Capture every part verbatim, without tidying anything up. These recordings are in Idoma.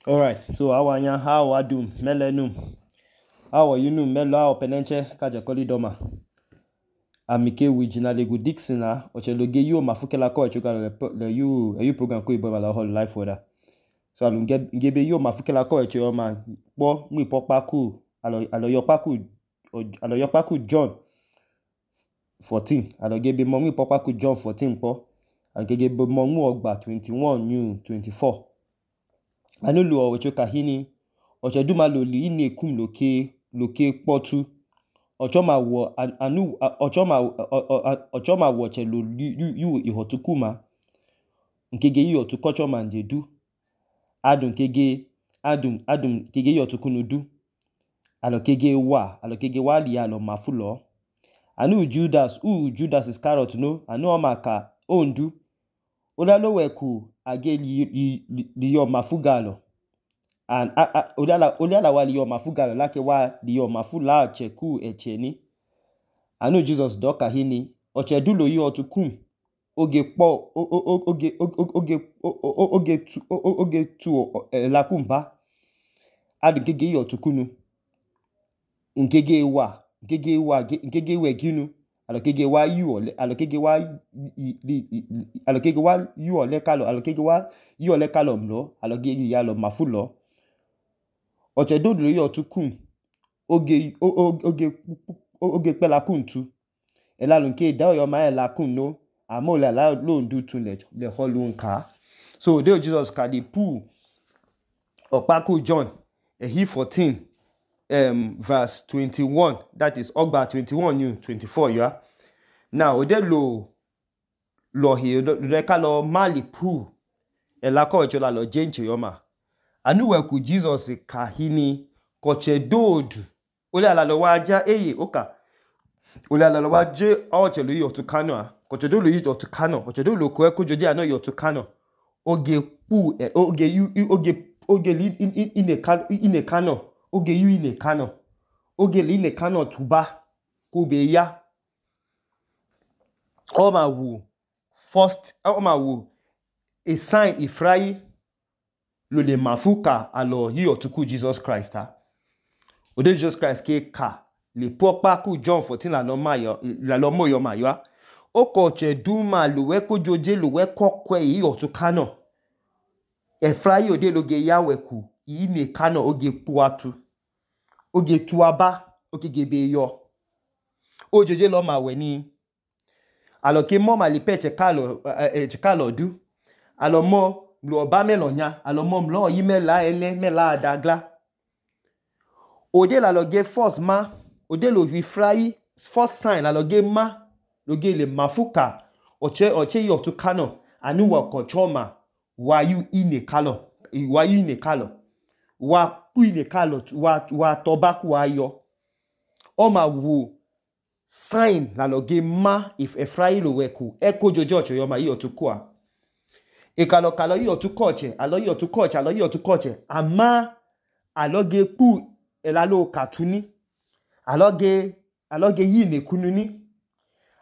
All right, so awanya how adum melenum how you melo how penenche kaja koli doma amike wijina legu Dixon na ocheloge yo mafukela ko echuka le you you program ko ibo la whole life for that. So alun gebe yo mafukela ko echo ma po mu ipopa ku alo alo yopaku alo yopaku John fourteen alo gebe mo mu ipopa ku John fourteen po alo gebe mo mu ogba twenty-one new twenty-four. Anulu o echuka hini ocheduma lo li ine kum loke loke potu ochoma wo anu ochoma ochoma wo chelo yu ihotukuma nkege yi otukochoma njedu adun kege adun adun kege yi otukunudu alo kege wa alo kege wa li alo mafulo anu Judas u Judas Iscariot no anu o maka ondu olalo weku age li li, li yo mafugalo and olala olala wa li yo mafugalo lake wa li yo mafula cheku echeni anu Jesus doka hini ochedulo yi otukum oge po oge oge oge tu oge tu lakumba adu kege yi otukunu nkege wa nkege wa nkege we ginu alo kege wa yu ole alo kege wa alo kege wa yu ole kalo alo kege wa yu ole kalo mlo alo kege ya lo mafulo ochedulo yi otukum oge oge oge pe la kuntu elalun ke da yo ma la kun no amola la lo ndu tun le le holun ka so dey Jesus ka di pu opaku John eh, he fourteen um verse twenty-one, that is ogba twenty-one new twenty-four you are now ode lo lo he re ka lo mali pu elako echola lo jenche yoma anu we ku Jesus ka hini koche dodu ole ala lo waja eye oka ole ala lo waje ochelo yi otukano a koche do lo yi otukano koche do lo ko e kojoje ano yi otukano oge pu oge yu oge oge li ine kano ine kano oge yu ine kano oge li ine kano tuba ko be ya o ma wu first o ma wu a sign ifrai lo le mafuka alo yi otuku Jesus Christ ha ode Jesus Christ ke ka le popa ku John fourteen la lo mayo la lo moyo mayo o ko che duma lo we ko joje lo we kokwe yi otukano e frai ode lo ge yawe ku yi ne kano oge puatu oge tuaba oge gebe yo o joje lo ma we ni alo ke mo ma li peche kalo e kalo du alo mo lo ba me lo nya alo mo lo yi me la ele me la adagla ode la lo ge first ma ode lo wi frai first sign la lo ge ma lo ge le mafuka oche oche yi otukano anu wa ko choma wa yu ine kalo wa yu ine kalo wa pu ine kalo wa wa tobaku wa yo o ma wu sign la lo ge ma if e frai lo weku e ko jojo ocho yo ma yi otukua e kalo kalo yi otukoche alo yi otukoche alo yi otukoche ama alo ge pu elalo katuni aloge aloge yi ne kununi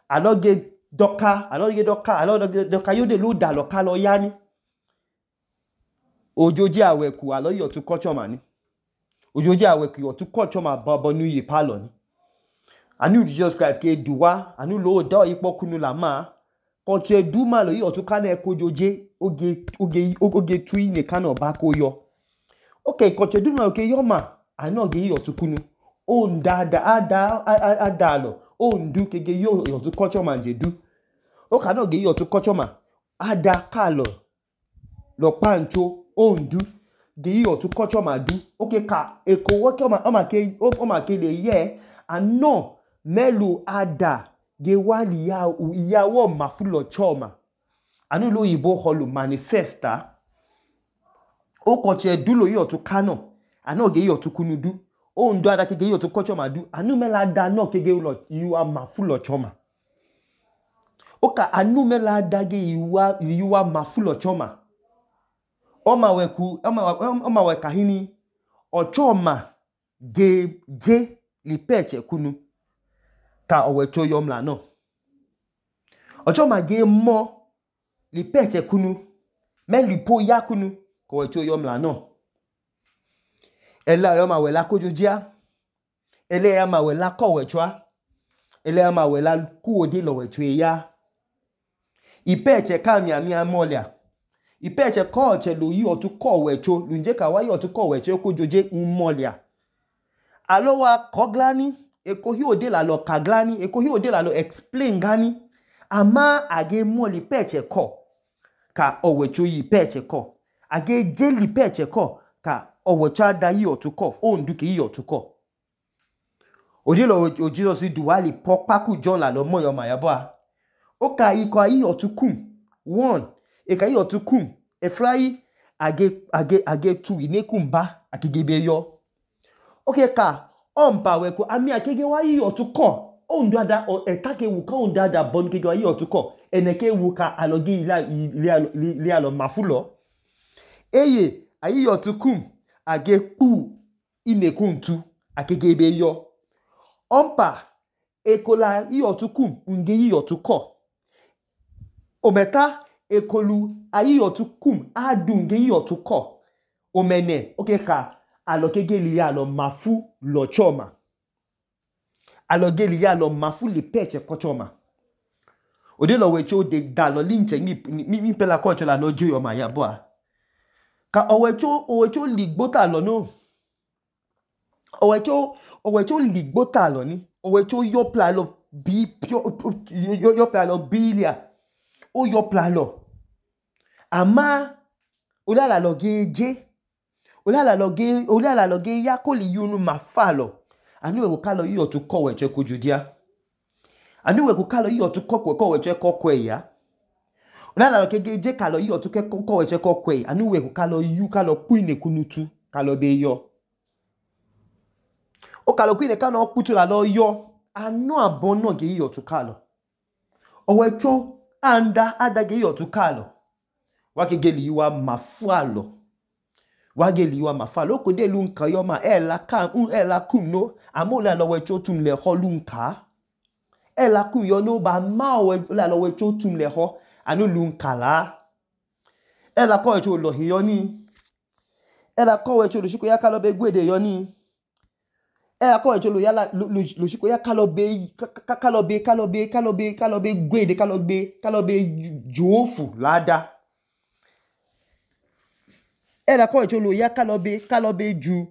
aloge doka aloge doka aloge doka yode lo da lo ka lo yani ojoji aweku alo yi otukocho mani ojoji aweku otukocho ma babo nu yi palo ni anu Jesus Christ ke duwa anu lo do ipo kunu la ma koche duma lo yi otukana e kojoje oge oge oge tui ne kana ba ko yo okay koche duma lo ke yo ma anu oge yi otukunu o ndada ada adalo o ndu kege yo otukocho ma njedu o ka no ge yi otukocho ma ada kalo lo pancho o ndu ge yi otukocho ma du okay ka eko wo ke o ma o ma ke o ma ke le ye ano melu ada ge wali ya iyawo mafulo choma anu lo yibo holu manifesta o koche dulo yi otukano ano ge yi otukunudu o ndo ada kege yi otukocho ma du anu mela da no kege lo yiwa mafulo choma oka anu mela da ge yiwa yiwa mafulo choma o ma weku o ma o ma we kahini o choma ge je li peche kunu ka owecho yomla no ochoma ge mo li peche kunu me li po ya kunu ko wecho yomla no Ela yo ma wela kojojia. Ele ya ma wela kọwẹchwa. Ele ya ma wela kuode lọwẹchwa ya. Ipeche ka miami amolia. Ipeche kọche lo yi otu kọwẹcho. Lunje ka wa yi otu kọwẹcho kojoje umolia. Alo wa koglani. Eko hi ode la lo kaglani. Eko hi ode la lo explain gani. Ama age moli peche ko. Ka ọwẹcho yi peche ko. Age jeli peche ko. Ka ọwẹcho ada yi otu ko. Ondu ke yi otu ko. Ode lo o Jesus duwali pokpaku John la lo moyo ma yabwa. Oka iko ayi otu kum. One. Eka yi otu kum. Efrayi age age age tu inekum ba akigebe yo. Oke ka ompa weko ami akege wa yi otu ko. Ondu ada etake wu ka ondu ada bon kege wa yi otu ko. Eneke wu ka aloge ila ila alo mafulo. Eye ayi otu kum age pu inekum tu akigebe yo. Ompa ekola yi otu kum unge yi otu ko. Ometa ekolu ayi otu kum adu nge yi otu ko. Omene oke ka alokege li ya lo mafu lo choma. Aloge li ya lo mafu li peche ko choma. Ode lo wecho de da lo linche mi mi mi pela ko chola lo jo yo ma ya boa. Ka owecho owecho ligbota lo no. Owecho owecho ligbota lo ni. Owecho yo pla lo bi pio yo yo pla lo bilia. O yo pla lo. Ama ola la loge je. Ola la loge ola la loge ya ko li yunu mafalo. Anu we ka lo yi otu kọwẹcho kojudia. Anu we ka lo yi otu kọwẹcho kokwe ya. Ola la loge je ka lo yi otu kọwẹcho kokwe. Anu we ka lo yu ka lo pu inekunutu ka lo be yo. O ka lo ku ine ka no putu la lo yo. Anu abon no ge yi otu ka lo. Owecho anda adage yi otu ka lo. Wake li yuwa mafualo. Wage li yuwa mafualo. Oko de lunka yoma ela kam un ela kum no. Amola lo wecho tum le ho lunka. Ela kum yo no ba ma ola lo wecho tum le ho. Anu lunka la. Ela ko wecho lo hi yo ni. Ela ko wecho lo shiko ya ka lo be gwede yo ni. Ela ko wecho lo ya la lo shiko ya ka lo be ka lo be ka lo be ka lo be ka lo be gwede ka lo be ka lo be jofu lada. Ela ko wecho lo ya ka lo be ka lo be ju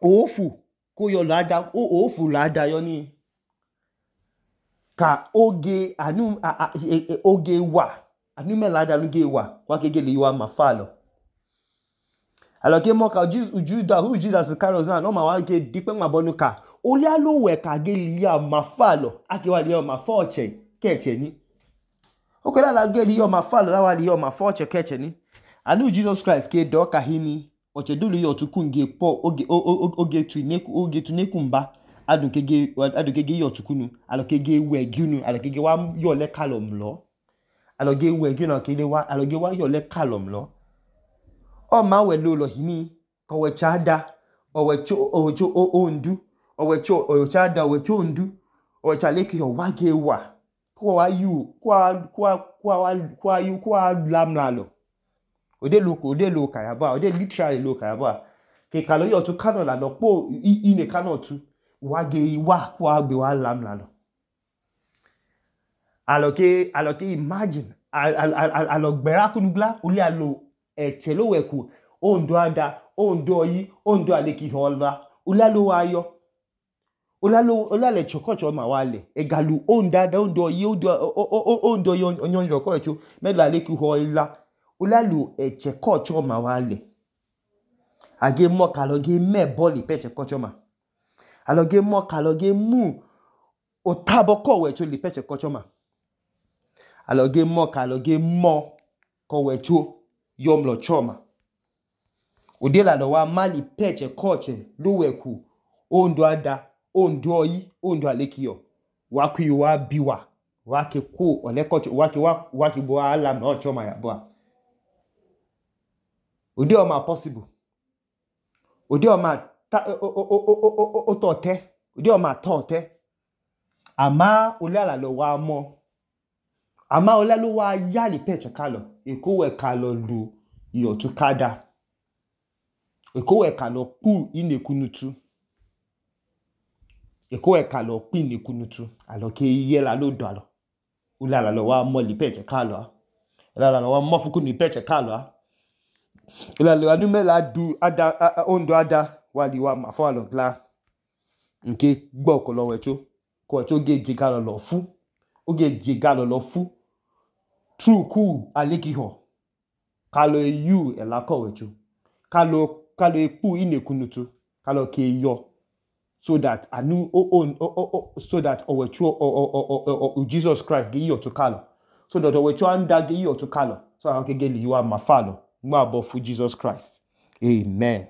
ofu ko yo lada o ofu lada yo ni. Ka oge anu a, a, e, e, oge wa anu me lada anu ge wa wa ke ge li wa mafalo. Aloke mo ka Juda hu Judas Carlos na no ma wa ke dipe ma bonu ka oli alo we ka ge li ya mafalo ake wa li ya mafoche keche ni. Oke la la ge li ya mafalo la wa li ya mafoche keche ni. Anu Jesus Christ ke do ka hini oche dulu yo tukunge po oge oge tu neku oge tu nekumba adun kege adun kege yo tukunu aloke ge we gunu aloke ge wa yo le kalom lo aloge we gunu kele wa aloge wa yo le kalom lo o ma we lo lo hini ko we chada o we cho o cho o ondu o we cho o chada o we cho ondu o chale ki yo wa ge wa ko wa yu kwa kwa kwa kwa yu kwa lamla lo. Ode loko ode lo kayaba ode literally lo kayaba ke kalo yo tu kano la lo po ine kano tu wa ge wa kwa gbe wa lam la lo. Aloke aloke imagine alogbera kunugla oli alo eche lo weku ondo ada ondo yi ondo aleki hola oli alo ayo oli alo oli ale chokocho ma wale egalu ondo ada ondo yi ondo ondo yi onyon chokocho me la aleki hola Ulalu eche kocho ma wale. Age mo kaloge me boli peche kocho ma. Aloge mo kaloge mu otabo kowecho li peche kocho ma. Aloge mo kaloge mo kowecho yomlo choma. Udela lo wa mali peche koche luweku ondo ada ondo yi ondo alekiyo. Waku yuwa biwa. Wake ku ole kocho wake wa wake bo alam no choma ya boa. Ode o ma possible. Ode o ma ta o o o o tote. Ode o ma tote. Ama olala lo wa mo. Ama olalo wa yali peche kalo. Eko we kalo lu iyo tu kada. Eko ekalo kpu inekunutu. Eko ekalo kpu inekunutu. Alo ke iye la lo do alo. Ula la lo wa mo lipeche kalo. Ula la lo wa mo fuku lipeche kalo. Ula la nu me la du ada ondo ada wali wa ma fo alo gla. Nke gbo kolo wecho. Ko wecho ge jiga lo lo fu. Oge jiga lo lo fu. True ku alikiho. Kalo yu elako wecho. Kalo kalo ekpu inekunutu. Kalo ke yo. So that anu o o o so that owecho o o o Jesus Christ ge yo to kalo. So that owecho anda ge yo to kalo. So that ke ge li wa ma falo. Mo abo fu Jesus Christ. Amen.